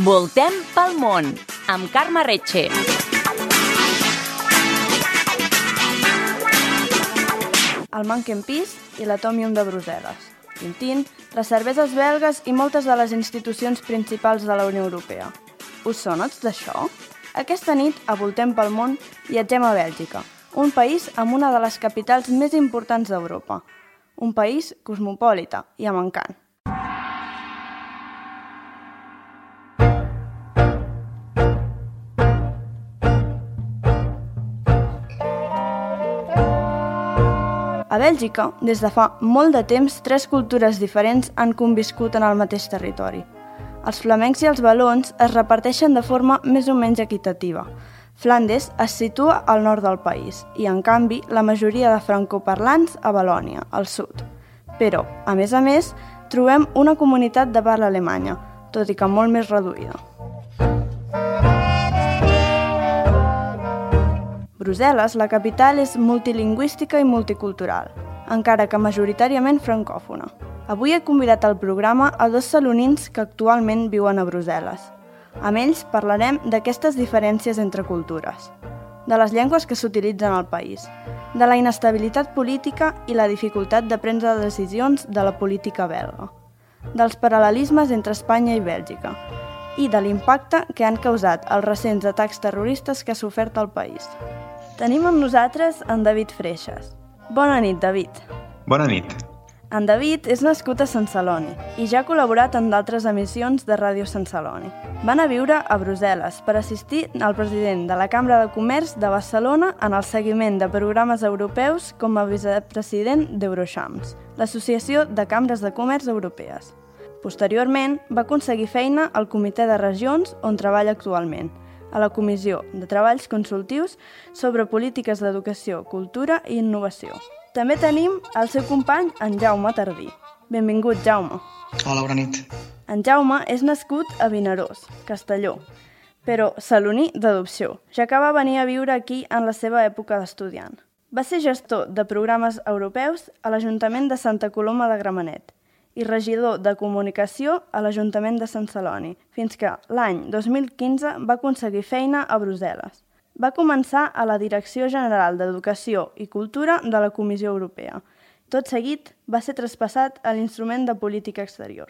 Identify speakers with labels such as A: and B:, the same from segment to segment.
A: Voltem pel món, amb Carme Retxe.
B: El Monkey Peace i l'Atomium de Brussel·les, Tintín, les cerveses belgues i moltes de les institucions principals de la Unió Europea. Us sones d'això? Aquesta nit, a Voltem pel món, viatgem a Bèlgica, un país amb una de les capitals més importants d'Europa. Un país cosmopolita i amb encant. A Bèlgica, des de fa molt de temps, 3 cultures diferents han conviscut en el mateix territori. Els flamencs i els valons es reparteixen de forma més o menys equitativa. Flandes es situa al nord del país i, en canvi, la majoria de francoparlants a Valònia, al sud. Però, a més, trobem una comunitat de parla alemanya, tot i que molt més reduïda. Brussel·les, la capital, és multilingüística i multicultural, encara que majoritàriament francòfona. Avui he convidat al programa a 2 salonins que actualment viuen a Brussel·les. Amb ells parlarem d'aquestes diferències entre cultures, de les llengües que s'utilitzen al país, de la inestabilitat política i la dificultat de prendre decisions de la política belga, dels paral·lelismes entre Espanya i Bèlgica i de l'impacte que han causat els recents atacs terroristes que ha sofert el país. Tenim amb nosaltres en David Freixas. Bona nit, David.
C: Bona nit.
B: En David és nascut a Sant Celoni i ja ha col·laborat en d'altres emissions de Ràdio Sant Celoni. Va anar a viure a Brussel·les per assistir al president de la Cambra de Comerç de Barcelona en el seguiment de programes europeus com a vicepresident d'Eurochams, l'Associació de Cambres de Comerç Europees. Posteriorment, va aconseguir feina al Comitè de Regions, on treballa actualment, a la Comissió de Treballs Consultius sobre Polítiques d'Educació, Cultura i Innovació. També tenim el seu company, en Jaume Tardí. Benvingut, Jaume.
D: Hola, bona nit.
B: En Jaume és nascut a Vinaròs, Castelló, però saloní d'adopció, ja que va venir a viure aquí en la seva època d'estudiant. Va ser gestor de programes europeus a l'Ajuntament de Santa Coloma de Gramenet i regidor de comunicació a l'Ajuntament de Sant Celoni, fins que l'any 2015 va aconseguir feina a Brussel·les. Va començar a la Direcció General d'Educació i Cultura de la Comissió Europea. Tot seguit, va ser traspassat a l'Instrument de Política Exterior.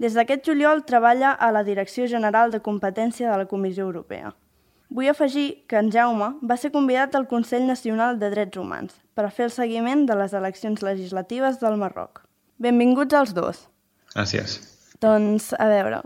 B: Des d'aquest juliol treballa a la Direcció General de Competència de la Comissió Europea. Vull afegir que en Jaume va ser convidat al Consell Nacional de Drets Humans per fer el seguiment de les eleccions legislatives del Marroc. Benvinguts als 2.
C: Gràcies.
B: Doncs, a veure,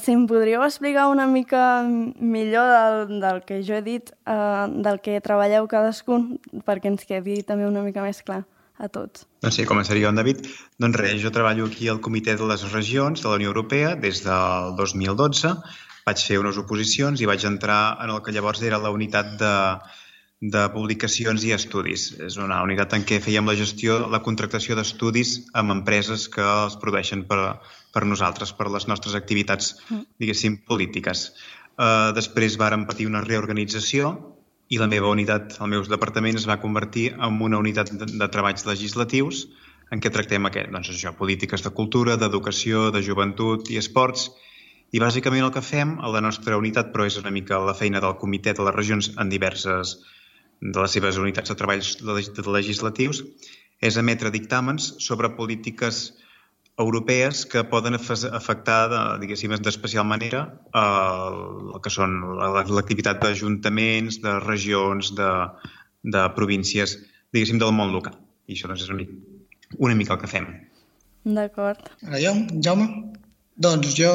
B: si em podríeu explicar una mica millor del que jo he dit, del que treballeu cadascun, perquè ens quedi també una mica més clar a tots.
C: Doncs sí, començaria jo, en David. Doncs res, jo treballo aquí al Comitè de les Regions de la Unió Europea des del 2012. Vaig fer unes oposicions i vaig entrar en el que llavors era la unitat de publicacions i estudis. És una unitat en què fèiem la gestió, la contractació d'estudis amb empreses que els produeixen per nosaltres, per les nostres activitats, diguéssim, polítiques. Després vàrem patir una reorganització i la meva unitat, el meu departament, es va convertir en una unitat de treballs legislatius en què tractem polítiques de cultura, d'educació, de joventut i esports. I bàsicament el que fem a la nostra unitat, però és una mica la feina del Comitè de les Regions en diverses de les seves unitats de treballs legislatius, és emetre dictàmens sobre polítiques europees que poden afectar, diguéssim, d'especial manera el que són l'activitat d'ajuntaments, de regions, de províncies, diguéssim, del món local. I això és una mica el que fem.
B: D'acord.
D: Ara jo, Jaume? Doncs jo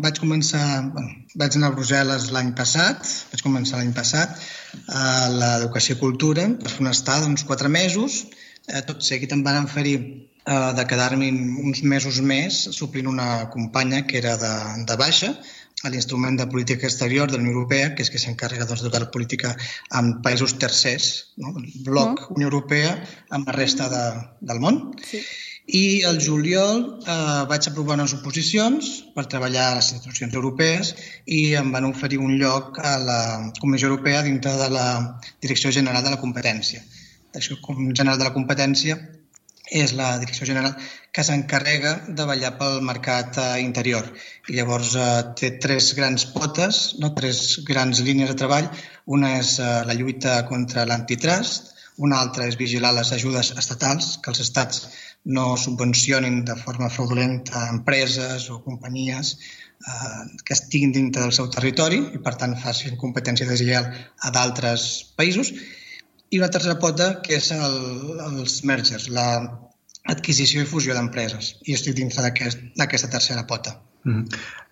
D: vaig anar a Brussel·les l'any passat, a l'Educació i Cultura, per fer una estada d'uns 4 mesos. Tot seguit em van oferir de quedar-me uns mesos més suplint una companya que era de baixa a l'Instrument de Política Exterior de la Unió Europea, que és que s'encarrega de la política en països tercers, el bloc Unió Europea amb la resta del món.
B: Sí.
D: I al juliol vaig aprovar unes oposicions per treballar a les institucions europees i em van oferir un lloc a la Comissió Europea dintre de la Direcció General de la Competència. La Direcció General de la Competència és la direcció general que s'encarrega de vetllar pel mercat interior. I llavors té 3 grans potes, 3 grans línies de treball. Una és la lluita contra l'antitrust, una altra és vigilar les ajudes estatals, que els estats no subvencionin de forma fraudulenta empreses o companyies que estiguin dintre del seu territori i, per tant, facin competència deslleial a d'altres països. I una tercera pota, que és els mergers, l'adquisició i fusió d'empreses. I estic dintre d'aquesta tercera pota.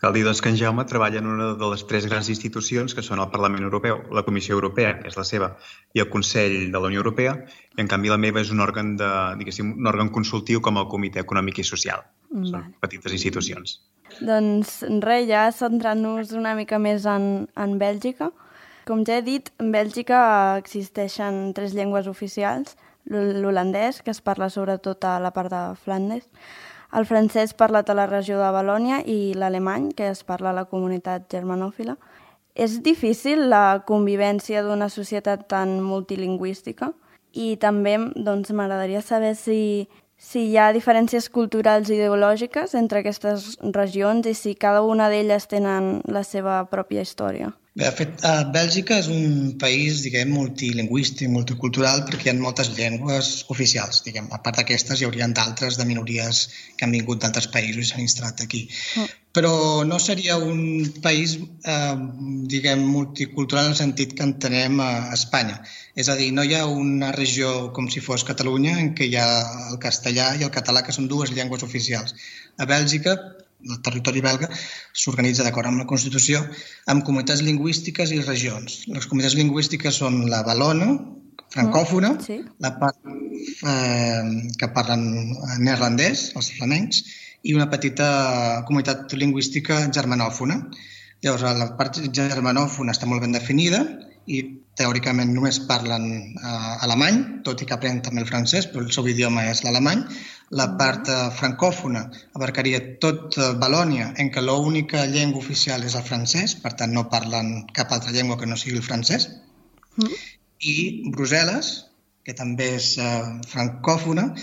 C: Cal dir doncs, que en Jaume treballa en una de les 3 grans institucions, que són el Parlament Europeu, la Comissió Europea, que és la seva, i el Consell de la Unió Europea, i en canvi la meva és un òrgan un òrgan consultiu com el Comitè Econòmic i Social. Són petites institucions.
B: Doncs res, ja centrant-nos una mica més en Bèlgica. Com ja he dit, en Bèlgica existeixen 3 llengües oficials, l'holandès, que es parla sobretot a la part de Flandes, el francès parlat a la regió de Valònia i l'alemany, que es parla a la comunitat germanòfila. És difícil la convivència d'una societat tan multilingüística i també doncs, m'agradaria saber si hi ha diferències culturals i ideològiques entre aquestes regions i si cada una d'elles tenen la seva pròpia història.
D: Bé, de fet, Bèlgica és un país, multilingüístic, multicultural, perquè hi ha moltes llengües oficials. A part d'aquestes, hi haurien d'altres de minories que han vingut d'altres països i s'han instal·lat aquí. Però no seria un país, multicultural en el sentit que entenem a Espanya. És a dir, no hi ha una regió com si fos Catalunya en què hi ha el castellà i el català, que són 2 llengües oficials. A Bèlgica, el territori belga, s'organitza d'acord amb la Constitució amb comunitats lingüístiques i regions. Les comunitats lingüístiques són la valona, francòfona, la part que parlen neerlandès, els flamencs, i una petita comunitat lingüística germanòfona. Llavors, la part germanòfona està molt ben definida i teòricament només parlen alemany, tot i que aprenen també el francès, però el seu idioma és l'alemany. La part francòfona abarcaria tot Valònia, en què l'única llengua oficial és el francès, per tant no parlen cap altra llengua que no sigui el francès. I Brussel·les, que també és francòfona,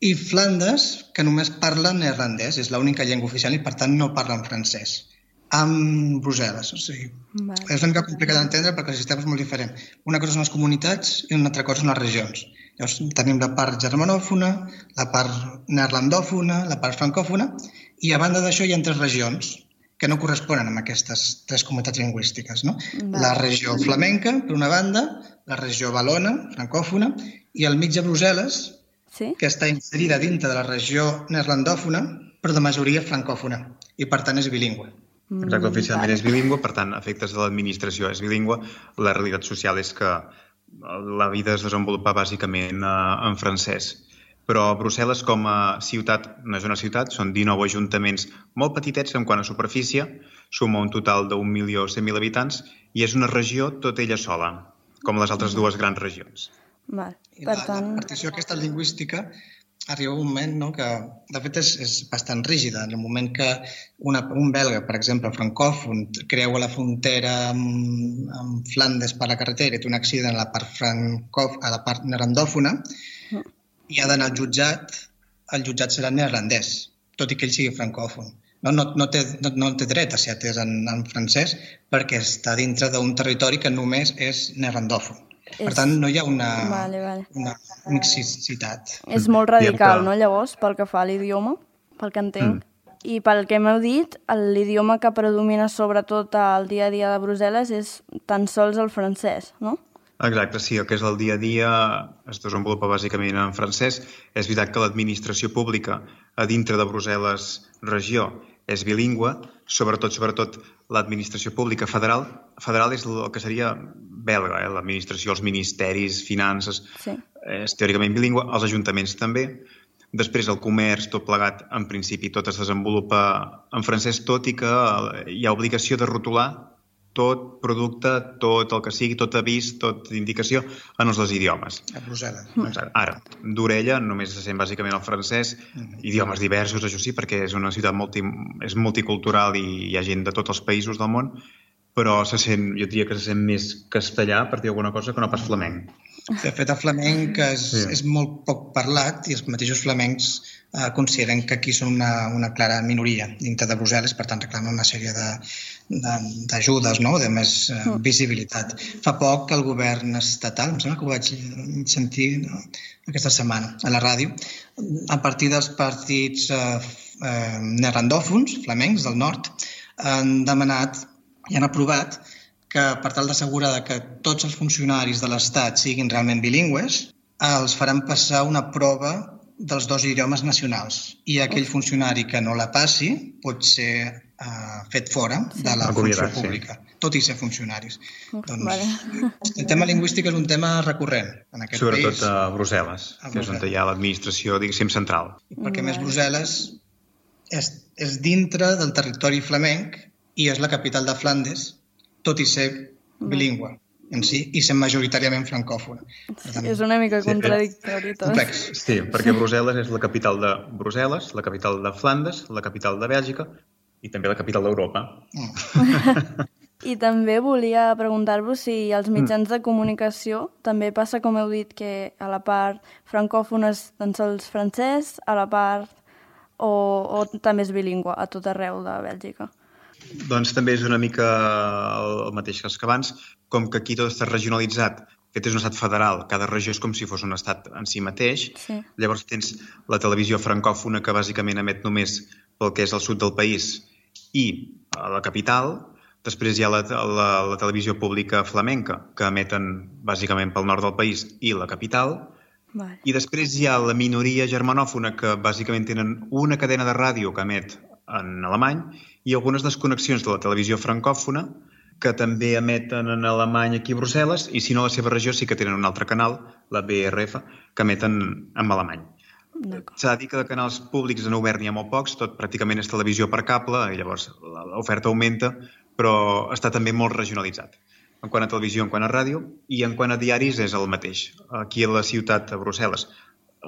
D: i Flandes, que només parlen neerlandès, és l'única llengua oficial i per tant no parlen francès. Amb Brussel·les. És una mica complicat d'entendre perquè el sistema és molt diferent. Una cosa són les comunitats i una altra cosa són les regions. Llavors tenim la part germanòfona, la part neerlandòfona, la part francòfona, i a banda d'això hi ha 3 regions que no corresponen amb aquestes 3 comunitats lingüístiques. La regió flamenca, per una banda, la regió valona, francòfona, i al mig de Brussel·les, que està inserida dintre de la regió neerlandòfona, però de majoria francòfona, i per tant és bilingüe.
C: Exacte, oficialment és bilingüe, per tant, a efectes de l'administració és bilingüe. La realitat social és que la vida es desenvolupa bàsicament en francès. Però Brussel·les com a ciutat, no és una ciutat, són 19 ajuntaments molt petitets en quant a superfície, suma un total d'1.100.000 habitants i és una regió tot ella sola, com les altres 2 grans regions.
D: La partició aquesta lingüística arriba un moment que, de fet, és bastant rígida. En el moment que un belga, per exemple, francòfon, creua la frontera amb Flandes per la carretera i té un accident a la part neerlandòfona, i ha d'anar al jutjat, el jutjat serà neerlandès, tot i que ell sigui francòfon. No té dret a ser atès en francès perquè està dintre d'un territori que només és neerlandòfon. Per tant, no hi ha una mixicitat.
B: És molt radical, no, llavors, pel que fa a l'idioma, pel que entenc. I pel que m'heu dit, l'idioma que predomina sobretot al dia a dia de Brussel·les és tan sols el francès, no?
C: Exacte, sí, el que és el dia a dia es desenvolupa bàsicament en francès. És veritat que l'administració pública a dintre de Brussel·les regió és bilingüe, sobretot l'administració pública federal. Federal és el que seria belga, l'administració, els ministeris, finances, és teòricament bilingüe, els ajuntaments també. Després el comerç, tot plegat, en principi tot es desenvolupa en francès, tot i que hi ha obligació de rotular tot producte, tot el que sigui, tot avís, tota indicació en els 2 idiomes.
D: A Brussel·les.
C: Ara, d'orella només se sent bàsicament el francès, idiomes diversos, això sí, perquè és una ciutat multicultural i hi ha gent de tots els països del món, però jo diria que se sent més castellà, per dir alguna cosa, que no pas flamenc.
D: De fet, el flamenc és molt poc parlat i els mateixos flamencs consideren que aquí són una clara minoria dintre de Brussel·les, per tant reclamen una sèrie d'ajudes, no? De més visibilitat. Fa poc el govern estatal, em sembla que ho vaig sentir aquesta setmana a la ràdio, a partir dels partits neerlandòfons, flamencs del nord, han demanat i han aprovat que per tal d'assegurar que tots els funcionaris de l'Estat siguin realment bilingües, els faran passar una prova dels 2 idiomes nacionals i aquell funcionari que no la passi pot ser fet fora de la funció pública, tot i ser funcionaris. Doncs el tema lingüístic és un tema recurrent en aquest país.
C: Sobretot a Brussel·les, que és on hi ha l'administració, diguéssim, central.
D: Perquè més Brussel·les és dintre del territori flamenc i és la capital de Flandes, tot i ser bilingüe en si i ser majoritàriament francòfona.
B: És una mica contradictori tot.
D: Complex.
C: Sí, perquè Brussel·les és la capital de Brussel·les, la capital de Flandes, la capital de Bèlgica i també la capital d'Europa.
B: I també volia preguntar-vos si als mitjans de comunicació també passa, com heu dit, que a la part francòfona és tan sols francès, a la part o també és bilingüe a tot arreu de Bèlgica?
C: Doncs també és una mica el mateix que abans, com que aquí tot està regionalitzat, aquest és un estat federal, cada regió és com si fos un estat en si mateix, llavors tens la televisió francòfona que bàsicament emet només pel que és el sud del país i a la capital, després hi ha la televisió pública flamenca que emeten bàsicament pel nord del país i la capital, i després hi ha la minoria germanòfona que bàsicament tenen una cadena de ràdio que emet en alemany i algunes desconnexions de la televisió francòfona que també emeten en alemany aquí a Brussel·les i si no a la seva regió sí que tenen un altre canal, la BRF, que emeten en alemany. S'ha de dir que de canals públics en obert n'hi ha molt pocs, tot pràcticament és televisió per cable i llavors l'oferta augmenta, però està també molt regionalitzat. En quant a televisió, en quant a ràdio i en quant a diaris és el mateix. Aquí a la ciutat, a Brussel·les,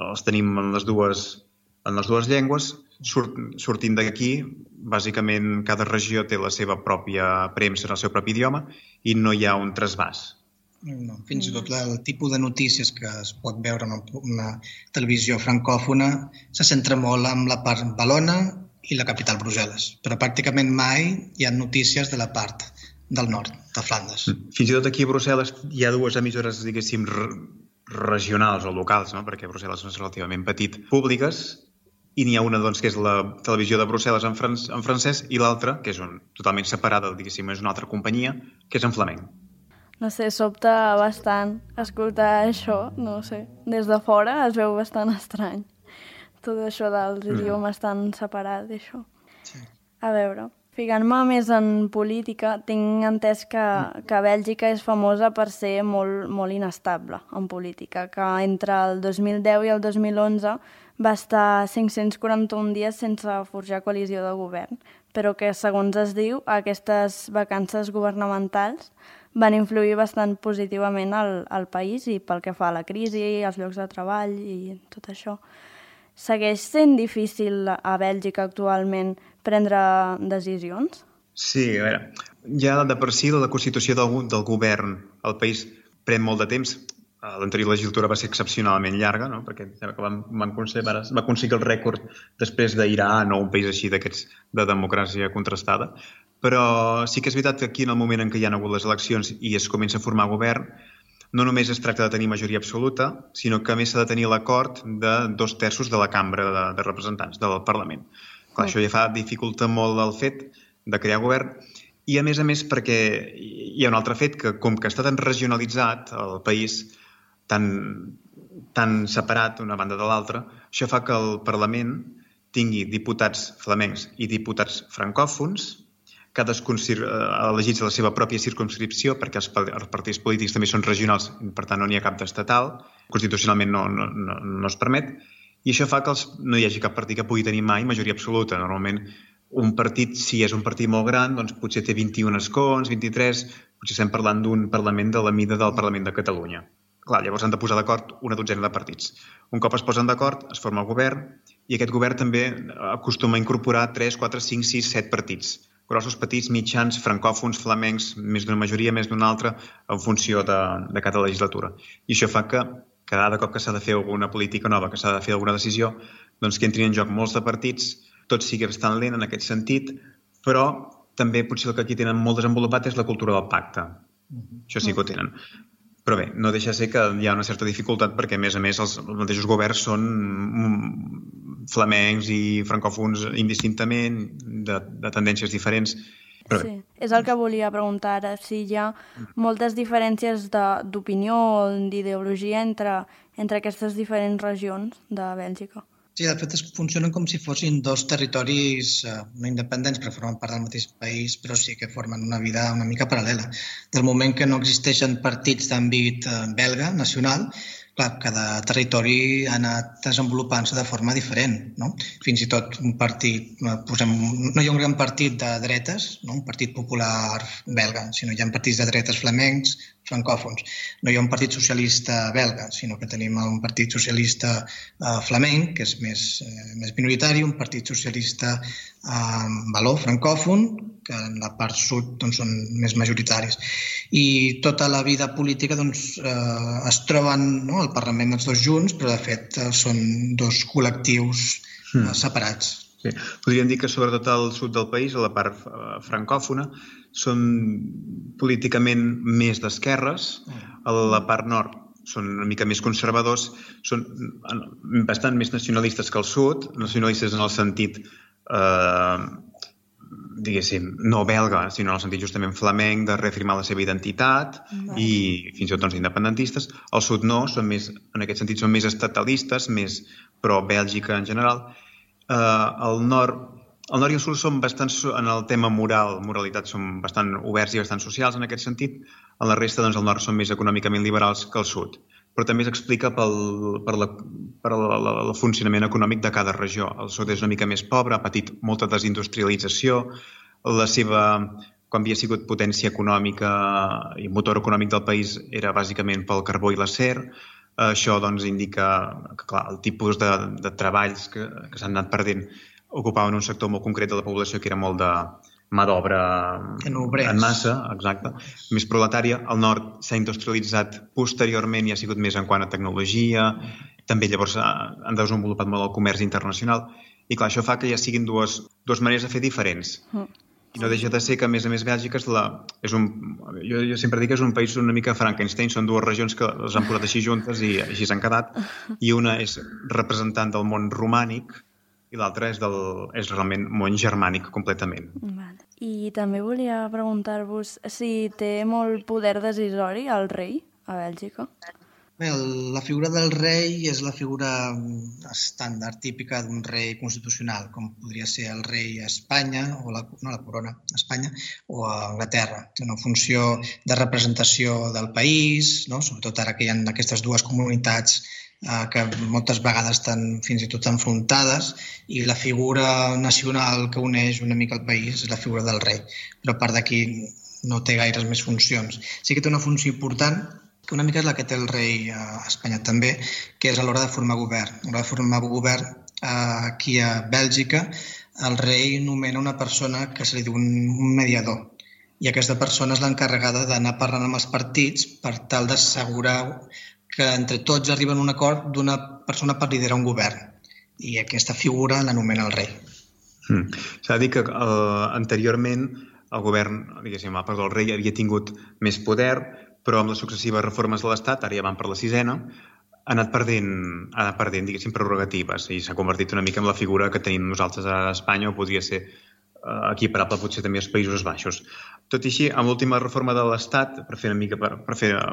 C: els tenim en les dues llengües. Sortint d'aquí, bàsicament cada regió té la seva pròpia premsa en el seu propi idioma i no hi ha un trasbàs.
D: No, fins i tot el tipus de notícies que es pot veure en una televisió francòfona se centra molt en la part valona i la capital Brussel·les, però pràcticament mai hi ha notícies de la part del nord, de Flandes.
C: Fins i tot aquí a Brussel·les hi ha 2 emissores, diguéssim, regionals o locals, no? Perquè Brussel·les és relativament petit, públiques, i n'hi ha una doncs, que és la televisió de Brussel·les en francès i l'altra, que és totalment separada, diguéssim, és una altra companyia, que és en flamenc.
B: No sé, sobta bastant escoltar això, no sé, des de fora es veu bastant estrany. Tot això dels idiomes tan separats, això.
D: Sí.
B: A veure, ficant-me més en política, tinc entès que Bèlgica és famosa per ser molt inestable en política, que entre el 2010 i el 2011 va estar 541 dies sense forjar coalició de govern, però que, segons es diu, aquestes vacances governamentals van influir bastant positivament al país i pel que fa a la crisi, als llocs de treball i tot això. Segueix sent difícil a Bèlgica actualment prendre decisions?
C: Sí, a veure, ja de per si la constitució del govern al país pren molt de temps. L'anterior legislatura va ser excepcionalment llarga, no? Perquè va aconseguir el rècord després d'Iran o un país així d'aquests de democràcia contrastada. Però sí que és veritat que aquí, en el moment en què hi ha hagut les eleccions i es comença a formar govern, no només es tracta de tenir majoria absoluta, sinó que a més s'ha de tenir l'acord de 2/3 de la cambra de representants del Parlament. Clar, això ja dificulta molt el fet de crear govern i, a més perquè hi ha un altre fet que, com que està tan regionalitzat el país, tan separat d'una banda de l'altra, això fa que el Parlament tingui diputats flamencs i diputats francòfons, cadascun elegits a la seva pròpia circumscripció, perquè els partits polítics també són regionals, per tant no n'hi ha cap d'estatal, constitucionalment no es permet, i això fa que no hi hagi cap partit que pugui tenir mai majoria absoluta. Normalment un partit, si és un partit molt gran, doncs potser té 21 escons, 23, potser estem parlant d'un Parlament de la mida del Parlament de Catalunya. Clar, llavors han de posar d'acord una dotzena de partits. Un cop es posen d'acord, es forma el govern i aquest govern també acostuma a incorporar 3, 4, 5, 6, 7 partits grossos, petits, mitjans, francòfons, flamencs, més d'una majoria, més d'una altra, en funció de cada legislatura. I això fa que cada cop que s'ha de fer alguna política nova, que s'ha de fer alguna decisió, doncs que entrin en joc molts de partits, tot sigui bastant lent en aquest sentit, però també potser el que aquí tenen molt desenvolupat és la cultura del pacte. Això sí que ho tenen. Però bé, no deixa de ser que hi ha una certa dificultat perquè, a més, els mateixos governs són flamencs i francòfons indistintament, de tendències diferents. Però
B: sí, és el que volia preguntar ara, si hi ha moltes diferències d'opinió o d'ideologia entre aquestes diferents regions de Bèlgica.
D: Sí, de fet, funcionen com si fossin dos territoris no independents, però formen part del mateix país, però sí que formen una vida una mica paral·lela. Del moment que no existeixen partits d'àmbit belga, nacional, clar, cada territori ha anat desenvolupant-se de forma diferent, no? Fins i tot un partit, no hi ha un gran partit de dretes, no? Un partit popular belga, sinó hi ha partits de dretes flamencs, francòfons. No hi ha un partit socialista belga, sinó que tenim un partit socialista flamenc, que és més minoritari, un partit socialista való, francòfon, que en la part sud doncs, són més majoritaris. I tota la vida política doncs, es troben al Parlament els dos junts, però de fet són dos col·lectius separats.
C: Sí. Podríem dir que sobretot al sud del país, a la part francòfona, són políticament més d'esquerres, a la part nord són una mica més conservadors, són bastant més nacionalistes que el sud, nacionalistes en el sentit, diguéssim, no belga, sinó en el sentit justament flamenc, de reafirmar la seva identitat i fins i tot doncs, independentistes. Al sud no, en aquest sentit són més estatalistes, més pro-Bèlgica en general. Al nord i el sud són bastant, en el tema moralitat, són bastant oberts i bastant socials en aquest sentit. En la resta, doncs, al nord són més econòmicament liberals que al sud. Però també s'explica per el funcionament econòmic de cada regió. El sud és una mica més pobre, ha patit molta desindustrialització. Quan havia sigut potència econòmica i motor econòmic del país era bàsicament pel carbó i l'acer. Això doncs, indica que clar, el tipus de treballs que s'han anat perdent ocupaven un sector molt concret de la població que era molt de mà d'obra en massa, exacte, més proletària. El nord s'ha industrialitzat posteriorment i ha sigut més en quant a tecnologia. També llavors han desenvolupat molt el comerç internacional. I clar, això fa que ja siguin dues maneres de fer diferents. I no deixa de ser que, a més Bèlgica jo sempre dic que és un país una mica Frankenstein, són dues regions que les han posat així juntes i així s'han quedat, i una és representant del món romànic i l'altra és realment món germànic completament.
B: I també volia preguntar-vos si té molt poder decisori el rei a Bèlgica.
D: Bé, la figura del rei és la figura estàndard, típica d'un rei constitucional, com podria ser el rei a Espanya, o la corona a Espanya, o a Anglaterra. Té una funció de representació del país, no? Sobretot ara que hi ha aquestes dues comunitats que moltes vegades estan fins i tot enfrontades, i la figura nacional que uneix una mica el país és la figura del rei. Però a part d'aquí no té gaires més funcions. Sí que té una funció important, que una mica és la que té el rei a Espanya també, que és a l'hora de formar govern. A l'hora de formar govern, aquí a Bèlgica, el rei nomena una persona que se li diu un mediador. I aquesta persona és l'encarregada d'anar parlant amb els partits per tal d'assegurar que entre tots arriben a un acord d'una persona per liderar un govern. I aquesta figura l'anomena el rei.
C: S'ha de dir que anteriorment el govern, el rei havia tingut més poder, però amb les successives reformes de l'Estat, ara ja van per la 6ª, ha anat perdent diguéssim, prerrogatives i s'ha convertit una mica en la figura que tenim nosaltres a Espanya, o podria ser equiparable potser també als Països Baixos. Tot i així, amb l'última reforma de l'Estat, per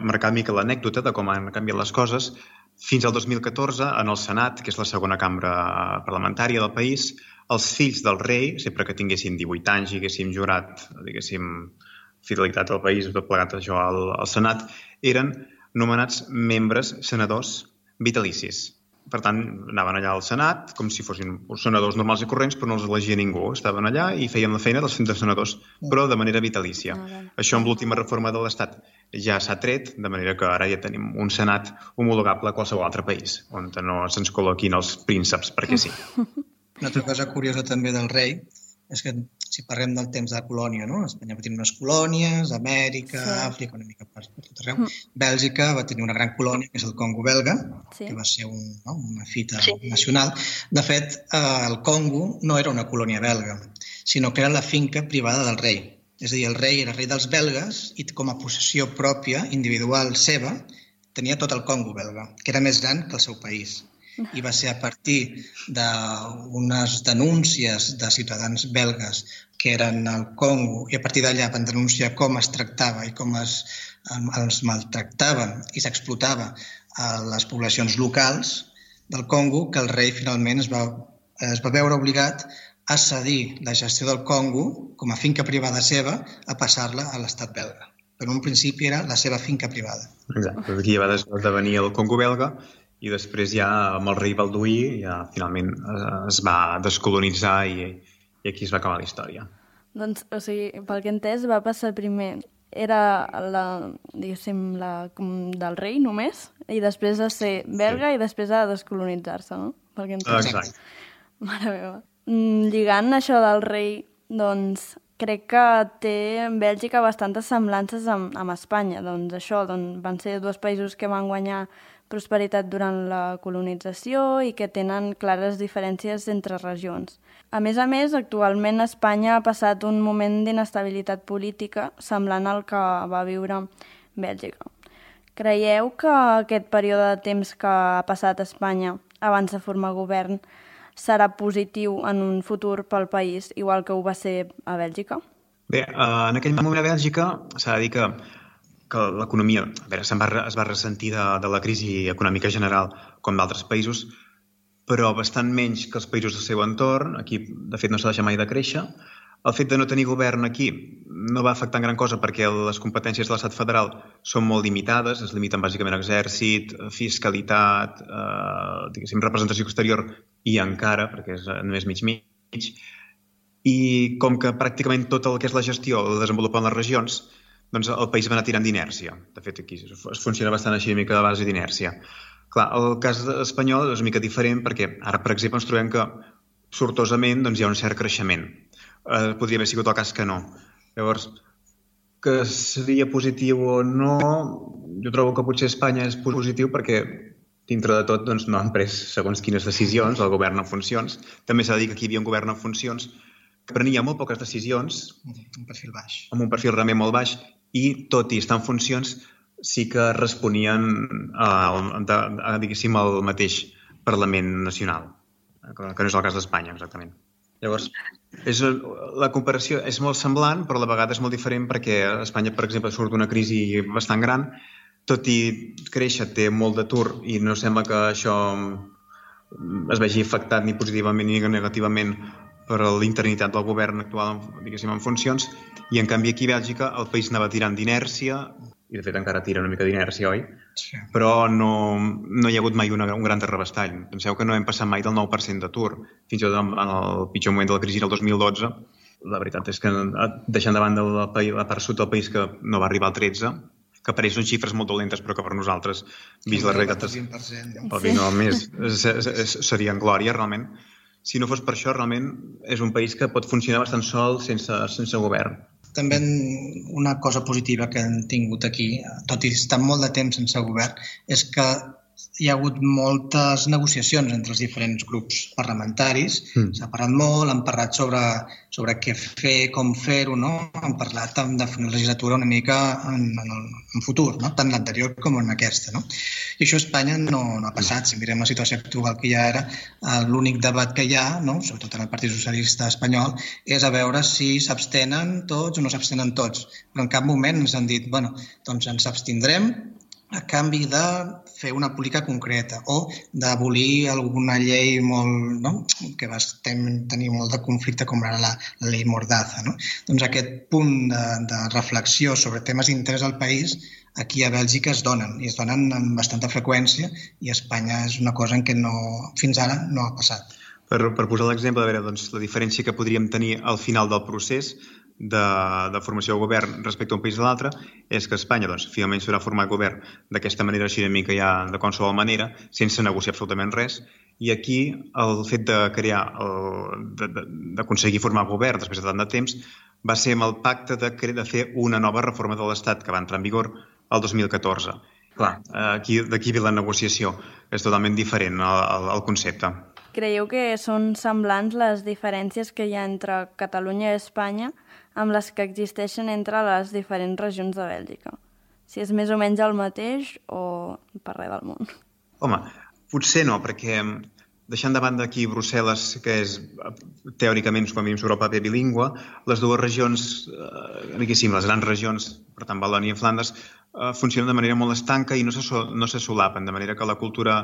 C: marcar una mica l'anècdota de com han canviat les coses, fins al 2014, en el Senat, que és la segona cambra parlamentària del país, els fills del rei, sempre que tinguessin 18 anys i haguéssim jurat, fidelitat al país, tot plegat això al Senat, eren nomenats membres senadors vitalicis. Per tant, anaven allà al Senat com si fossin senadors normals i corrents, però no els elegia ningú. Estaven allà i feien la feina dels senadors, però de manera vitalícia. Això amb l'última reforma de l'Estat ja s'ha tret, de manera que ara ja tenim un Senat homologable a qualsevol altre país, on no se'ns col·loquin els prínceps, perquè sí.
D: Una altra cosa curiosa també del rei És que si parlem del temps de colònia, no? Espanya va tenir unes colònies, Amèrica, Àfrica, una mica per tot arreu. Bèlgica va tenir una gran colònia, que és el Congo belga, que va ser una fita nacional. De fet, el Congo no era una colònia belga, sinó que era la finca privada del rei. És a dir, el rei era rei dels belgues i com a possessió pròpia, individual seva, tenia tot el Congo belga, que era més gran que el seu país. I va ser a partir d'unes denúncies de ciutadans belgues que eren al Congo i a partir d'allà van denunciar com es tractava i com els maltractava i s'explotava a les poblacions locals del Congo que el rei finalment es va veure obligat a cedir la gestió del Congo com a finca privada seva a passar-la a l'estat belga. Però en un principi era la seva finca privada.
C: Exacte, aquí va esdevenir el Congo belga i després ja amb el rei Balduí ja finalment es va descolonitzar i aquí es va acabar la història.
B: Doncs, o sigui, pel que he entès, va passar primer, era diguéssim, del rei només, i després de ser belga i després de descolonitzar-se, no? Pel que he entès.
C: Exacte.
B: Mare meva. Lligant això del rei, doncs, crec que té Bèlgica bastantes semblances amb Espanya. Doncs això, van ser dos països que van guanyar prosperitat durant la colonització i que tenen clares diferències entre regions. A més, actualment Espanya ha passat un moment d'inestabilitat política semblant al que va viure Bèlgica. Creieu que aquest període de temps que ha passat a Espanya abans de formar govern serà positiu en un futur pel país, igual que ho va ser a Bèlgica?
C: Bé, en aquell moment a Bèlgica s'ha de dir que l'economia es va ressentir de la crisi econòmica general com d'altres països, però bastant menys que els països del seu entorn. Aquí, de fet, no s'ha deixat mai de créixer. El fet de no tenir govern aquí no va afectar en gran cosa perquè les competències de l'estat federal són molt limitades, es limiten bàsicament a exèrcit, fiscalitat, representació exterior i encara, perquè és només mig. I com que pràcticament tot el que és la gestió la desenvolupen les regions, doncs el país va anar tirant d'inèrcia. De fet, aquí es funciona bastant així, una mica de base d'inèrcia. Clar, el cas espanyol és una mica diferent perquè ara, per exemple, ens trobem que sortosament hi ha un cert creixement. Podria haver sigut el cas que no. Llavors, que seria positiu o no, jo trobo que potser Espanya és positiu perquè dintre de tot no han pres segons quines decisions, el govern en funcions. També s'ha de dir que aquí hi havia un govern en funcions que prenia molt poques decisions.
D: Un perfil baix.
C: Amb un perfil realment molt baix i, tot i estar en funcions, sí que responien diguéssim, al mateix Parlament Nacional, que no és el cas d'Espanya, exactament. Llavors, la comparació és molt semblant, però a la vegada és molt diferent perquè Espanya, per exemple, surt d'una crisi bastant gran, tot i créixer té molt d'atur i no sembla que això es vegi afectat ni positivament ni negativament per l'interinitat del govern actual, diguéssim, en funcions, i en canvi aquí a Bèlgica el país anava tirant d'inèrcia, i de fet encara tira una mica d'inèrcia, oi?
D: Sí.
C: Però no hi ha hagut mai un gran terrabastall. Penseu que no hem passat mai del 9% d'atur. Fins i tot en el pitjor moment de la crisi del 2012, la veritat és que deixant de banda la part sud del país que no va arribar al 13%, que per ells són xifres molt dolentes, però que per nosaltres, vist la realitat, seria en glòria, realment. Si no fos per això, realment és un país que pot funcionar bastant sol sense govern.
D: També una cosa positiva que hem tingut aquí, tot i estar molt de temps sense govern, és que hi ha hagut moltes negociacions entre els diferents grups parlamentaris. S'ha parlat molt, han parlat sobre què fer, com fer-ho, no? Han parlat de fer una legislatura una mica en futur, no? Tant l'anterior com en aquesta, no? I això a Espanya no ha passat. Si mirem la situació actual que ja era, l'únic debat que hi ha, no? Sobretot en el Partit Socialista espanyol, és a veure si s'abstenen tots o no s'abstenen tots. Però en cap moment ens han dit, bueno, doncs ens abstindrem a canvi de fer una política concreta o d'abolir alguna llei molt, no? Que va tenir molt de conflicte com era la llei Mordaza. No? Doncs aquest punt de reflexió sobre temes d'interès al país aquí a Bèlgica es donen, i es donen amb bastanta freqüència, i a Espanya és una cosa en què fins ara no ha passat.
C: Per posar l'exemple, a veure, doncs, la diferència que podríem tenir al final del procés, de formació de govern respecte a un país a l'altre és que Espanya finalment s'haurà format govern d'aquesta manera així una mica ja de qualsevol manera, sense negociar absolutament res, i aquí el fet de crear, d'aconseguir formar govern després de tant de temps, va ser amb el pacte de fer una nova reforma de l'Estat que va entrar en vigor el 2014. Clar, d'aquí ve la negociació, és totalment diferent el concepte.
B: Creieu que són semblants les diferències que hi ha entre Catalunya i Espanya amb les que existeixen entre les diferents regions de Bèlgica? Si és més o menys el mateix o per res del món?
C: Home, potser no, perquè deixant de banda aquí Brussel·les, que és teòricament, quan vivim sobre el paper bilingüe, les dues regions, diguéssim, les grans regions, per tant Valònia i Flandes, funcionen de manera molt estanca i no se solapen, de manera que la cultura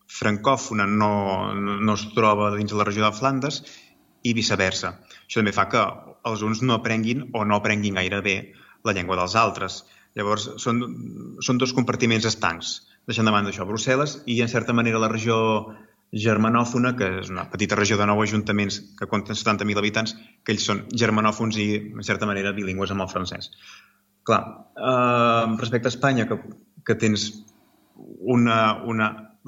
C: francòfona no es troba dins de la regió de Flandes i viceversa. Això també fa que els uns no aprenguin o no aprenguin gaire bé la llengua dels altres. Llavors, són dos compartiments estancs. Deixant de banda això, Brussel·les i, en certa manera, la regió germanòfona, que és una petita regió de 9 ajuntaments que compten 70.000 habitants, que ells són germanòfons i, en certa manera, bilingües amb el francès. Clar, respecte a Espanya, que tens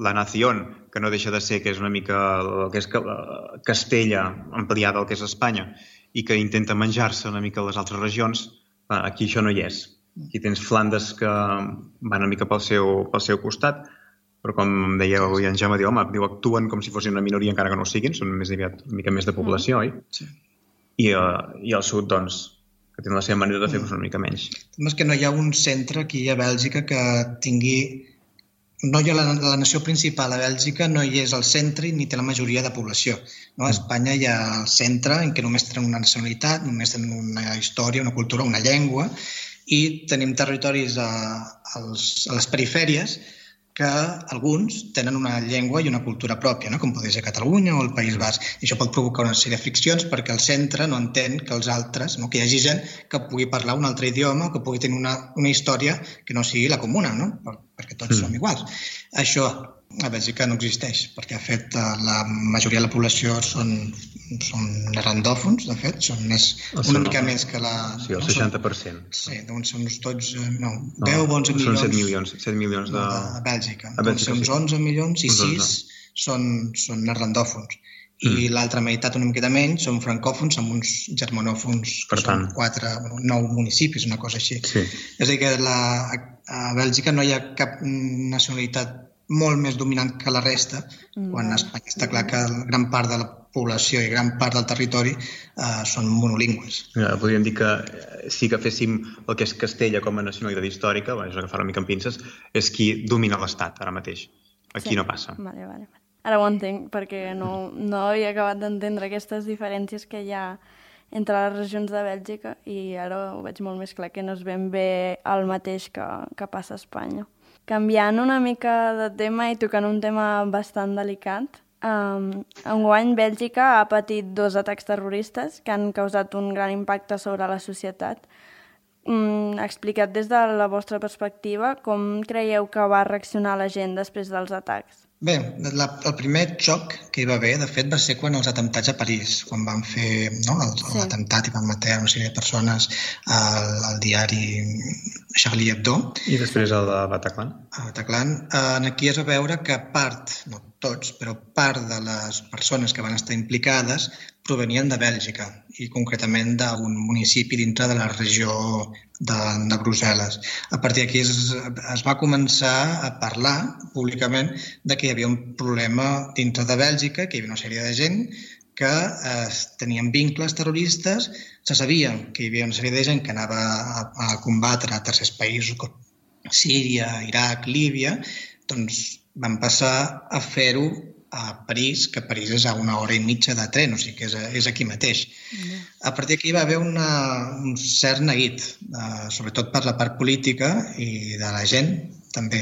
C: la nación, que no deixa de ser, que és una mica el que és Castella ampliada al que és Espanya, i que intenta menjar-se una mica les altres regions, aquí això no hi és. Aquí tens Flandes que van una mica pel seu costat, però com deia avui en Jaume, actuen com si fossin una minoria encara que no ho siguin, són més aviat una mica més de població, oi?
D: Sí.
C: I al sud, doncs, que tenen la seva manera de fer una mica menys.
D: És que no hi ha un centre aquí a Bèlgica que tingui... No hi ha la nació principal a Bèlgica, no hi és al centre ni té la majoria de població. A Espanya hi ha el centre en què només tenen una nacionalitat, només tenen una història, una cultura, una llengua, i tenim territoris a les perifèries que alguns tenen una llengua i una cultura pròpia, com pot ser Catalunya o el País Basc. I això pot provocar una sèrie de friccions perquè el centre no entén que els altres, que hi hagi gent que pugui parlar un altre idioma, que pugui tenir una història que no sigui la comuna, perquè tots som iguals. Això a Bèlgica no existeix, perquè de fet la majoria de la població són neerlandòfons, de fet, són una mica més que la...
C: Sí, el 60%.
D: Sí, doncs són uns 12, 10 o 11 milions.
C: Són 7 milions de...
D: Bèlgica. Doncs uns 11 milions i 6 són neerlandòfons. I l'altra meitat, una miqueta menys, són francòfons amb uns germanòfons, que són 9 municipis, una cosa així. És a dir, que a Bèlgica no hi ha cap nacionalitat molt més dominant que la resta, quan a Espanya està clar que gran part de la població i gran part del territori són monolingües.
C: Podríem dir que sí que féssim el que és Castella com a nacionalitat històrica, és agafar una mica amb pinces, és qui domina l'Estat ara mateix. Aquí no passa.
B: Vale. Ara ho entenc, perquè no havia acabat d'entendre aquestes diferències que hi ha entre les regions de Bèlgica i ara ho veig molt més clar, que no és ben bé el mateix que passa a Espanya. Canviant una mica de tema i tocant un tema bastant delicat, enguany Bèlgica ha patit 2 atacs terroristes que han causat un gran impacte sobre la societat. Explicat des de la vostra perspectiva, com creieu que va reaccionar la gent després dels atacs?
D: Bé, el primer xoc que hi va haver, de fet, va ser quan els atemptats a París, quan van fer l'atemptat i van matar una sèrie de persones al diari Charlie Hebdo.
C: I després el de Bataclan.
D: Aquí es va veure que part, no tots, però part de les persones que van estar implicades provenien de Bèlgica i concretament d'un municipi dintre de la regió de Brussel·les. A partir d'aquí es va començar a parlar públicament de que hi havia un problema dintre de Bèlgica, que hi havia una sèrie de gent que tenien vincles terroristes, se sabia que hi havia una sèrie de gent que anava a combatre a tercers països com Síria, Iraq, Líbia, doncs van passar a fer-ho a París, que París és a 1 hora i mitja de tren, o sigui que és aquí mateix. A partir d'aquí va haver un cert neguit, sobretot per la part política i de la gent, també.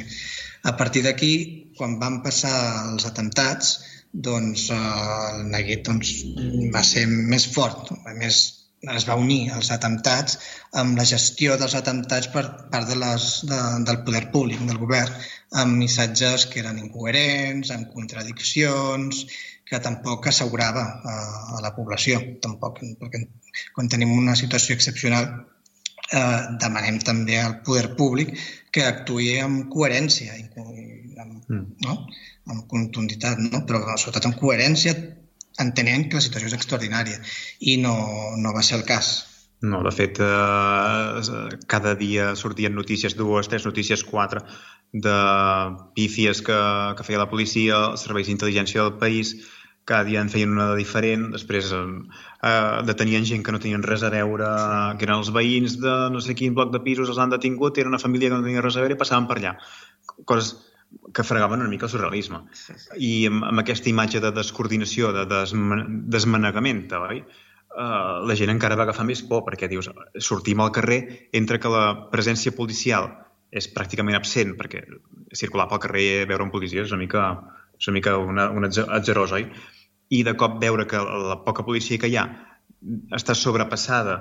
D: A partir d'aquí, quan van passar els atemptats, doncs el neguit va ser més fort, es va unir als atemptats amb la gestió dels atemptats per part del poder públic, del govern, amb missatges que eren incoherents, amb contradiccions, que tampoc assegurava a la població, tampoc, perquè quan tenim una situació excepcional demanem també al poder públic que actuï amb coherència, amb contunditat, però sobretot amb coherència, entenent que la situació és extraordinària i no va ser el cas.
C: No, de fet, cada dia sortien notícies, 2, 3 notícies, 4, de pífies que feia la policia, els serveis d'intel·ligència del país, cada dia en feien una diferent, després detenien gent que no tenien res a veure, que eren els veïns de no sé quin bloc de pisos, els han detingut, era una família que no tenia res a veure i passaven per allà. Coses que fregaven una mica el surrealisme. I amb aquesta imatge de descoordinació, de desmanegament, oi? La gent encara va agafar més por, perquè dius, sortim al carrer, entre que la presència policial és pràcticament absent, perquè circular pel carrer i veure un policia és una mica un atzerós, oi? I de cop veure que la poca policia que hi ha està sobrepassada,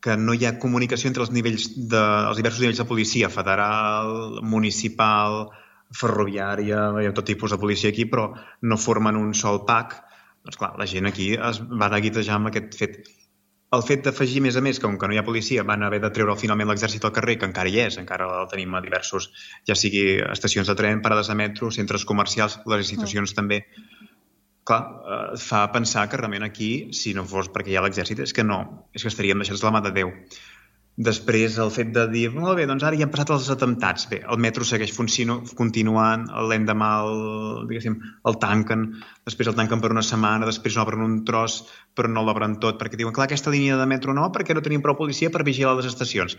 C: que no hi ha comunicació entre els diversos nivells de policia, federal, municipal, ferroviària, hi ha tot tipus de policia aquí, però no formen un sol pack. Doncs clar, la gent aquí es va neguitejar amb aquest fet. El fet d'afegir, més a més, que com que no hi ha policia, van haver de treure finalment l'exèrcit al carrer, que encara hi és, encara el tenim a diversos, ja sigui estacions de tren, parades de metro, centres comercials, les institucions també. Clar, fa pensar que realment aquí, si no fos perquè hi ha l'exèrcit, és que estaríem deixats de la mà de Déu. Després, el fet de dir, molt bé, doncs ara ja han passat els atemptats. Bé, el metro segueix continuant, l'endemà el tanquen, després el tanquen per una setmana, després l'obren un tros, però no l'obren tot, perquè diuen, clar, aquesta línia de metro no, perquè no tenim prou policia per vigilar les estacions.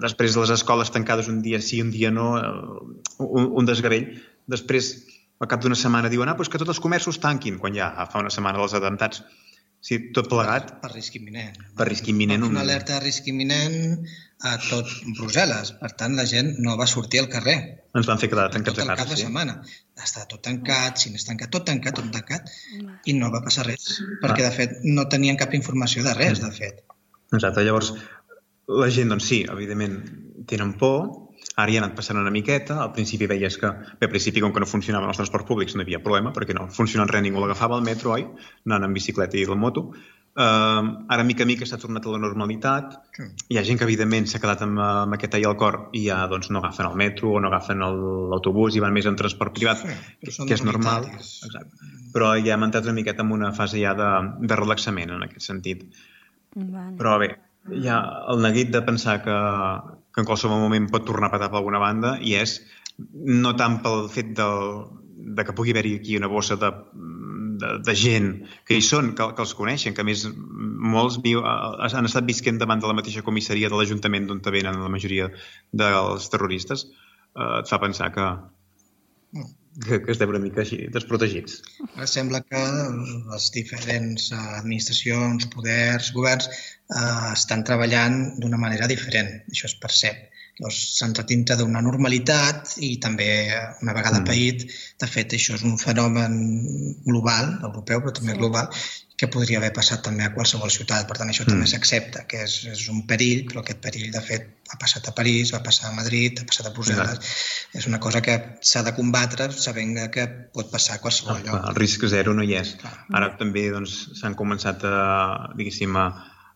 C: Després les escoles tancades un dia sí, un dia no, un desgavell. Després, al cap d'una setmana, diuen, doncs que tots els comerços tanquin, quan ja fa una setmana dels atemptats. Sí, tot plegat.
D: Per risc imminent.
C: Per risc imminent.
D: Una alerta de risc imminent a tot Brussel·les. Per tant, la gent no va sortir al carrer.
C: Ens van fer quedar tancats a casa,
D: sí. Tot el cap de setmana. Està tot tancat, si n'és tancat, tot tancat, i no va passar res. Perquè, de fet, no tenien cap informació de res, de fet.
C: Exacte. Llavors, la gent, doncs sí, evidentment, tenen por. Ara ja ha anat passant una miqueta. Al principi veies que, al principi, com que no funcionaven els transports públics, no hi havia problema, perquè no funcionant res, ningú l'agafava al metro, oi? Anant en bicicleta i la moto. Ara, mica a mica, s'ha tornat a la normalitat. Hi ha gent que, evidentment, s'ha quedat amb aquest tall al cor i ja doncs, no agafen el metro o no agafen l'autobús i van més en transport privat, que és normal. Exacte. Però ja hem entrat una miqueta en una fase ja de relaxament, en aquest sentit. Però bé, hi ha el neguit de pensar que en qualsevol moment pot tornar a patar per alguna banda i és no tant pel fet de que pugui haver-hi aquí una bossa de gent que hi són, que els coneixen, que a més molts han estat visquent davant de la mateixa comissaria de l'Ajuntament d'on venen la majoria dels terroristes, et fa pensar que estem una mica així, desprotegits.
D: Ara sembla que les diferents administracions, poders, governs estan treballant d'una manera diferent. Això es percep. S'han entrat dintre d'una normalitat i també una vegada paït. De fet, això és un fenomen global, europeu, però també global, que podria haver passat també a qualsevol ciutat. Per tant, això també s'accepta, que és un perill, però aquest perill, de fet, ha passat a París, va passar a Madrid, ha passat a Brussel·les. És una cosa que s'ha de combatre sabent que pot passar a qualsevol lloc.
C: El risc zero no hi és. Ara també s'han començat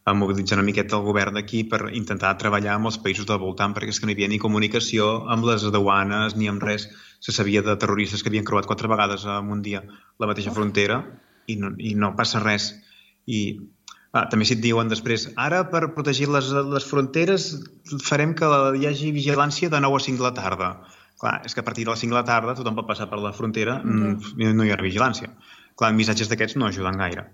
C: a mobilitzar una miqueta el govern d'aquí per intentar treballar amb els països del voltant, perquè és que no hi havia ni comunicació amb les duanes ni amb res. Se sabia de terroristes que havien creuat 4 vegades en un dia la mateixa frontera i no passa res. I també si et diuen després, ara per protegir les fronteres farem que hi hagi vigilància de 9 a 5 de la tarda. Clar, és que a partir de les 5 de la tarda tothom pot passar per la frontera, no hi ha vigilància. Clar, missatges d'aquests no ajuden gaire.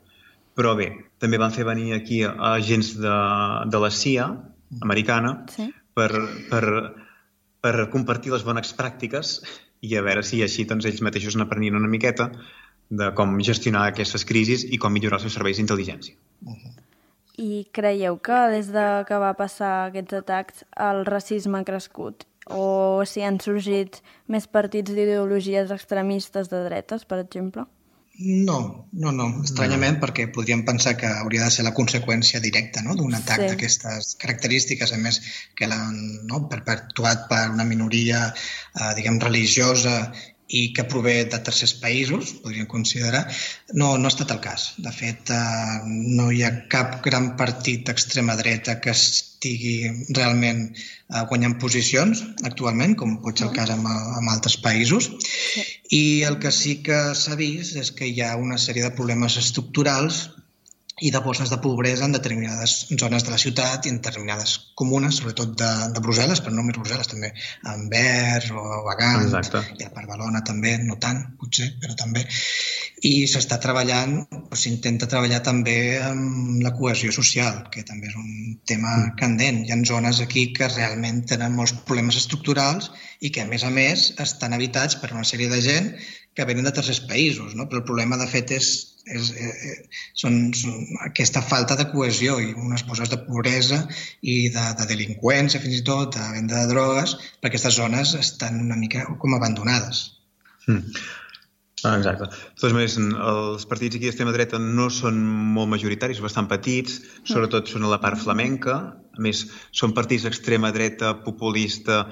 C: Però bé, també van fer venir aquí agents de la CIA americana per compartir les bones pràctiques i a veure si així ells mateixos n'aprenien una miqueta de com gestionar aquestes crisis i com millorar els seus serveis d'intel·ligència.
B: I creieu que des que va passar aquests atacs el racisme ha crescut? O si han sorgit més partits d'ideologies extremistes de dretes, per exemple?
D: No, estranyament, perquè podríem pensar que hauria de ser la conseqüència directa d'un atac d'aquestes característiques, a més que l'han perpetuat per una minoria, diguem, religiosa i que prové de tercers països, podríem considerar, no ha estat el cas. De fet, no hi ha cap gran partit d'extrema dreta que estigui realment guanyant posicions actualment, com pot ser el cas en altres països. I el que sí que s'ha vist és que hi ha una sèrie de problemes estructurals i de bosses de pobresa en determinades zones de la ciutat i en determinades comunes, sobretot de Brussel·les, però no només Brussel·les, també a Anvers o a Gant, i a Barcelona també, no tant, potser, però també. I s'està treballant, o s'intenta treballar també amb la cohesió social, que també és un tema candent. Hi ha zones aquí que realment tenen molts problemes estructurals i que, a més, estan habitats per una sèrie de gent que venen de tercers països, no? Però el problema, de fet, són aquesta falta de cohesió i unes bosses de pobresa i de delinqüència, fins i tot, de venda de drogues, perquè aquestes zones estan una mica com abandonades.
C: Exacte. De totes maneres, els partits aquí d'extrema dreta no són molt majoritaris, bastant petits, sobretot són a la part flamenca. A més, són partits d'extrema dreta, populista,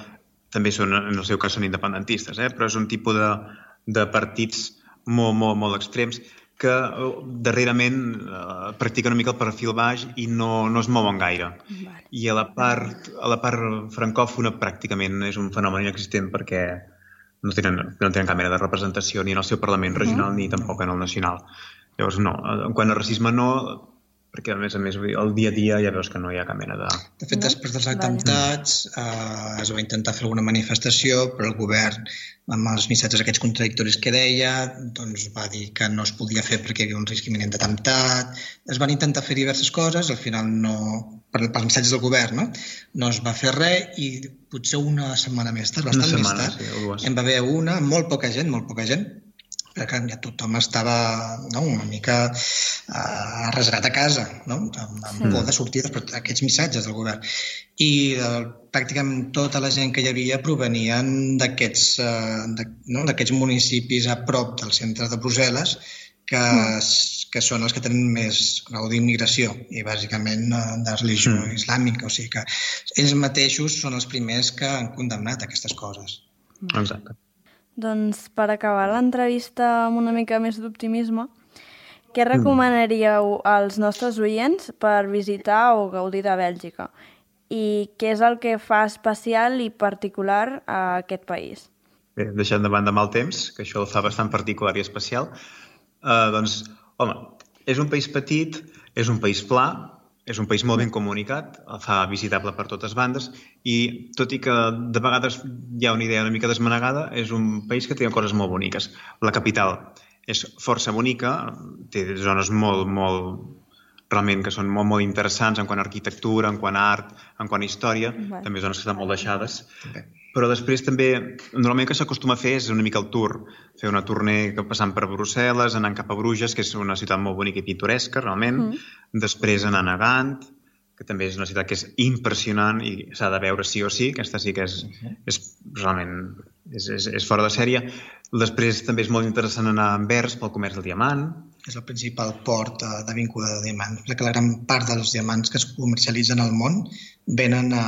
C: també són, en el seu cas són independentistes, però és un tipus de partits molt extrems que darrerament practiquen una mica el perfil baix i no es mouen gaire. I a la part francòfona pràcticament és un fenomen inexistent perquè no tenen cap mena de representació ni en el seu Parlament regional ni tampoc en el nacional. Llavors, no. En quant a racisme, no, perquè a més el dia a dia ja veus que no hi ha cap mena de...
D: De fet, després dels atemptats es va intentar fer alguna manifestació, però el govern, amb els missatges aquests contradictoris que deia, doncs va dir que no es podia fer perquè hi havia un risc imminent d'atemptat. Es van intentar fer diverses coses, al final no... pels missatges del govern, no es va fer res i potser una setmana més tard, bastant més tard, en va haver una, molt poca gent, perquè ja tothom estava una mica arrasgat a casa, amb por de sortir d'aquests missatges del govern. I pràcticament tota la gent que hi havia provenien d'aquests municipis a prop del centre de Brussel·les que són els que tenen més grau d'immigració i bàsicament de religió islàmica. O sigui que ells mateixos són els primers que han condemnat aquestes coses.
C: Exacte.
B: Doncs per acabar l'entrevista amb una mica més d'optimisme, què recomanaríeu als nostres oients per visitar o gaudir de Bèlgica? I què és el que fa especial i particular a aquest país?
C: Bé, deixant de banda mal temps, que això el fa bastant particular i especial, doncs, home, és un país petit, és un país pla, és un país molt ben comunicat, el fa visitable per totes bandes i, tot i que de vegades hi ha una idea una mica desmanegada, és un país que té coses molt boniques. La capital és força bonica, té zones realment que són molt interessants en quant a arquitectura, en quant a art, en quant a història, també zones que estan molt deixades. Però després també, normalment el que s'acostuma a fer és una mica el tour, fer una tournée passant per Brussel·les, anant cap a Bruges, que és una ciutat molt bonica i pintoresca, realment, després anant a Gant, que també és una ciutat que és impressionant i s'ha de veure sí o sí, aquesta sí que és realment és fora de sèrie. Després també és molt interessant anar a Anvers pel comerç del diamant.
D: És el principal port d'avinguda de diamants, perquè la gran part dels diamants que es comercialitzen al món venen a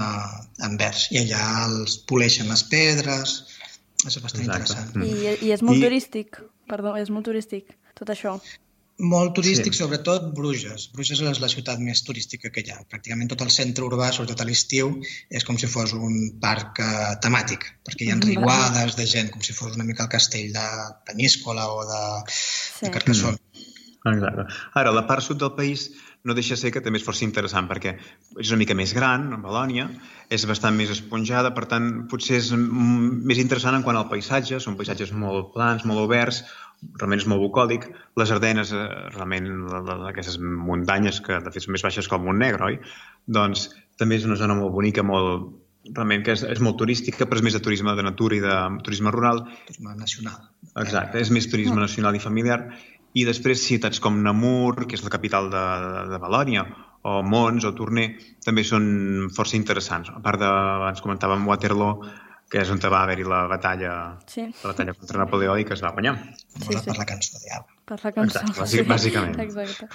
D: Anvers i allà els poleixen les pedres. És bastant interessant.
B: I és molt turístic, és molt turístic tot això.
D: Molt turístic, sobretot Bruges. Bruges és la ciutat més turística que hi ha. Pràcticament tot el centre urbà, sobretot a l'estiu, és com si fos un parc temàtic, perquè hi ha riuades de gent, com si fos una mica el castell de Peníscola o de Carcassonne.
C: Exacte. Ara, la part sud del país no deixa de ser que també és força interessant perquè és una mica més gran, Valònia, és bastant més esponjada, per tant, potser és més interessant en quant al paisatge, són paisatges molt plans, molt oberts, realment és molt bucòlic. Les Ardenes, realment, aquestes muntanyes que de fet són més baixes que el Montnegre, oi? Doncs també és una zona molt bonica, realment que és molt turística, però és més de turisme de natura i de turisme rural.
D: Turisme nacional.
C: Exacte, és més turisme nacional i familiar. I després ciutats com Namur, que és la capital de Valònia, o Mons o Tournai, també són força interessants. A part abans comentàvem Waterloo, que és on va haver-hi la batalla contra Napoleó i que es va guanyar.
D: Per la cançó de Diable.
B: Per la cançó.
C: Exacte, bàsicament.
B: Exacte.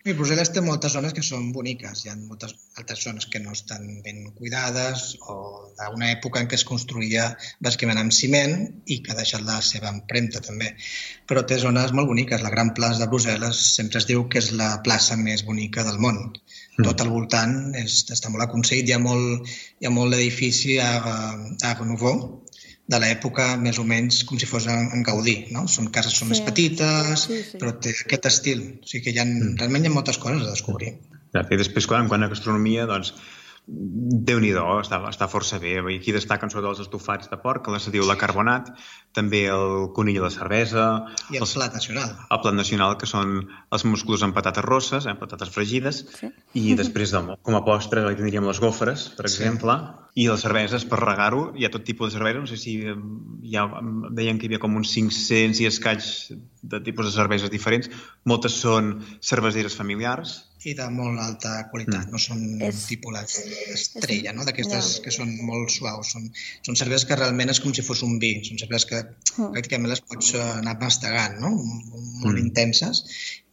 D: I Brussel·les té moltes zones que són boniques. Hi ha moltes altres zones que no estan ben cuidades o d'una època en què es construïa bàsicament amb ciment i que ha deixat la seva empremta també. Però té zones molt boniques. La Gran Plaça de Brussel·les sempre es diu que és la plaça més bonica del món. Tot al voltant està molt aconseguit. Hi ha molt d'edifici a Art Nouveau, de l'època més o menys com si fos en Gaudí, no? Són cases més petites, però té aquest estil. O sigui que realment hi ha moltes coses a descobrir.
C: I després, quant a gastronomia, doncs, Déu-n'hi-do, està força bé. Aquí destaquen sobretot els estofats de porc, que se diu la carbonat, també el conill i la cervesa...
D: I el plat nacional.
C: El plat nacional, que són els musclos amb patates rosses, patates fregides, i després, com a postre, tindríem les gofres, per exemple, i les cerveses, per regar-ho, hi ha tot tipus de cervesa, no sé si deien que hi havia com uns 500 i escaig de tipus de cerveses diferents, moltes són cerveseres familiars,
D: i de molt alta qualitat, no són tipus estrella, no? D'aquestes que són molt suaus. Són cerveses que realment és com si fos un vi, són cerveses que pràcticament les pots anar mastegant, no? Molt intenses.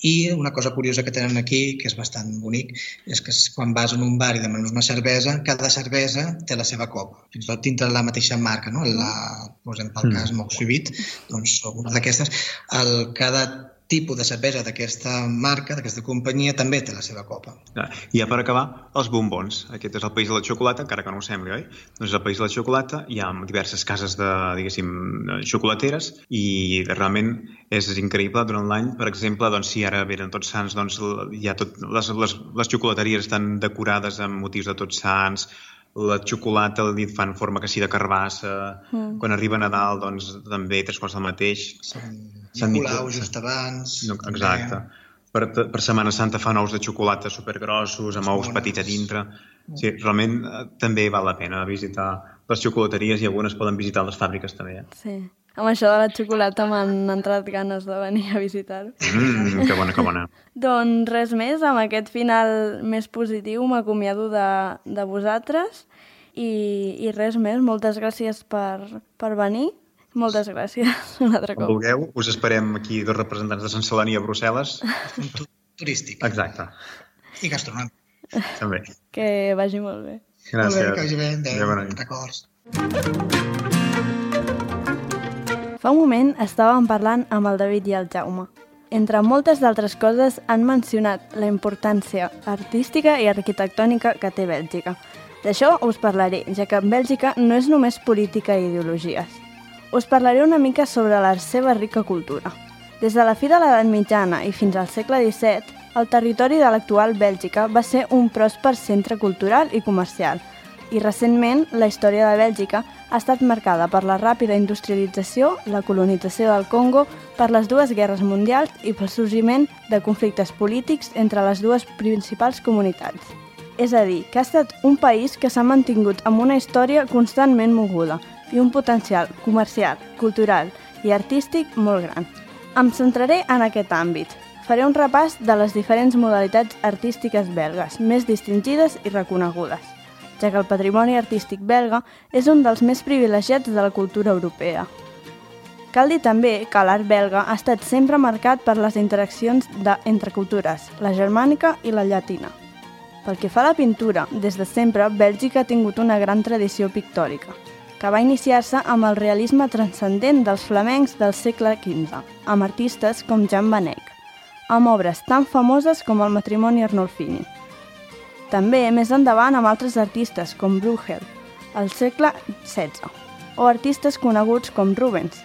D: I una cosa curiosa que tenen aquí, que és bastant bonic, és que quan vas a un bar i demanes una cervesa, cada cervesa té la seva copa. Fins i tot dintre la mateixa marca, no? Posem pel cas Moxivit, doncs alguna d'aquestes, cada tipus de cervesa d'aquesta marca, d'aquesta companyia, també té la seva copa.
C: I ja per acabar, els bombons. Aquest és el país de la xocolata, encara que no ho sembli, oi? Doncs és el país de la xocolata, hi ha diverses cases de, diguéssim, xocolateres i realment és increïble durant l'any. Per exemple, doncs, si ara venen Tots Sants, doncs hi ha les xocolateries estan decorades amb motius de Tots Sants, la xocolata li fan forma que sí de carbassa, quan arriba Nadal doncs també 3 quarts del mateix.
D: Sant Nicolau just abans.
C: Exacte. Per Setmana Santa fan ous de xocolata supergrossos, amb ous petits a dintre. Sí, realment també val la pena visitar les xocolateries i algunes poden visitar les fàbriques també.
B: Sí. Amb això de la xocolata m'han entrat ganes de venir a visitar-ho.
C: Que bona, que bona.
B: Doncs res més, amb aquest final més positiu m'acomiado de vosaltres i res més. Moltes gràcies per venir. Moltes gràcies un altre cop.
C: Quan vulgueu, us esperem aquí 2 representants de Sant Celoni a Brussel·les.
D: Turístic.
C: Exacte.
D: I gastronòmic.
C: També.
B: Que vagi molt bé.
C: Gràcies.
D: Molt bé, que vagi bé. Adéu. Records.
B: Fa un moment estàvem parlant amb el David i el Jaume. Entre moltes d'altres coses han mencionat la importància artística i arquitectònica que té Bèlgica. D'això us parlaré, ja que Bèlgica no és només política i ideologies. Us parlaré una mica sobre la seva rica cultura. Des de la fi de l'edat mitjana i fins al segle XVII, el territori de l'actual Bèlgica va ser un pròsper centre cultural i comercial, i recentment la història de Bèlgica ha estat marcada per la ràpida industrialització, la colonització del Congo, per les 2 guerres mundials i pel sorgiment de conflictes polítics entre les 2 principals comunitats. És a dir, que ha estat un país que s'ha mantingut amb una història constantment moguda i un potencial comercial, cultural i artístic molt gran. Em centraré en aquest àmbit. Faré un repàs de les diferents modalitats artístiques belgues, més distingides i reconegudes, ja que el patrimoni artístic belga és un dels més privilegiats de la cultura europea. Cal dir també que l'art belga ha estat sempre marcat per les interaccions entre cultures, la germànica i la llatina. Pel que fa a la pintura, des de sempre Bèlgica ha tingut una gran tradició pictòrica, que va iniciar-se amb el realisme transcendent dels flamencs del segle XV, amb artistes com Jan van Eyck, amb obres tan famoses com el Matrimoni Arnolfini. També més endavant amb altres artistes com Bruegel, al segle XVI, o artistes coneguts com Rubens,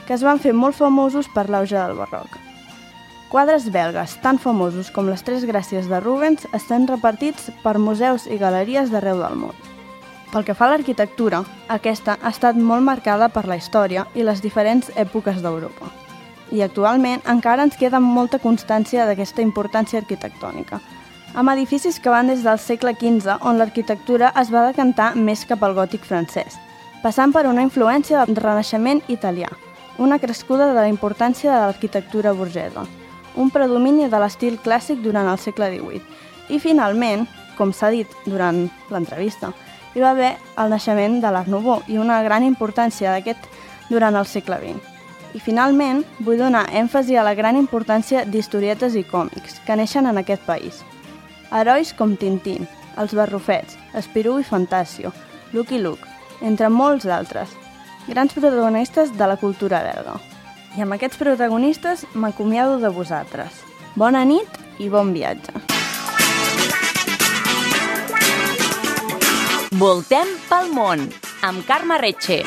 B: que es van fer molt famosos per l'auge del barroc. Quadres belgues tan famosos com les 3 Gràcies de Rubens estan repartits per museus i galeries d'arreu del món. Pel que fa a l'arquitectura, aquesta ha estat molt marcada per la història i les diferents èpoques d'Europa. I actualment encara ens queda molta constància d'aquesta importància arquitectònica, amb edificis que van des del segle XV, on l'arquitectura es va decantar més cap al gòtic francès, passant per una influència del Renaixement italià, una crescuda de la importància de l'arquitectura burgesa, un predomini de l'estil clàssic durant el segle XVIII, i finalment, com s'ha dit durant l'entrevista, hi va haver el naixement de l'Art Nouveau i una gran importància d'aquest durant el segle XX. I finalment, vull donar èmfasi a la gran importància d'historietes i còmics que neixen en aquest país. Herois com Tintín, Els Barrufets, Spirou i Fantasio, Lucky Luke, entre molts d'altres. Grans protagonistes de la cultura belga. I amb aquests protagonistes m'acomiado de vosaltres. Bona nit i bon viatge.
A: Voltem pel món, amb Carme Retxe.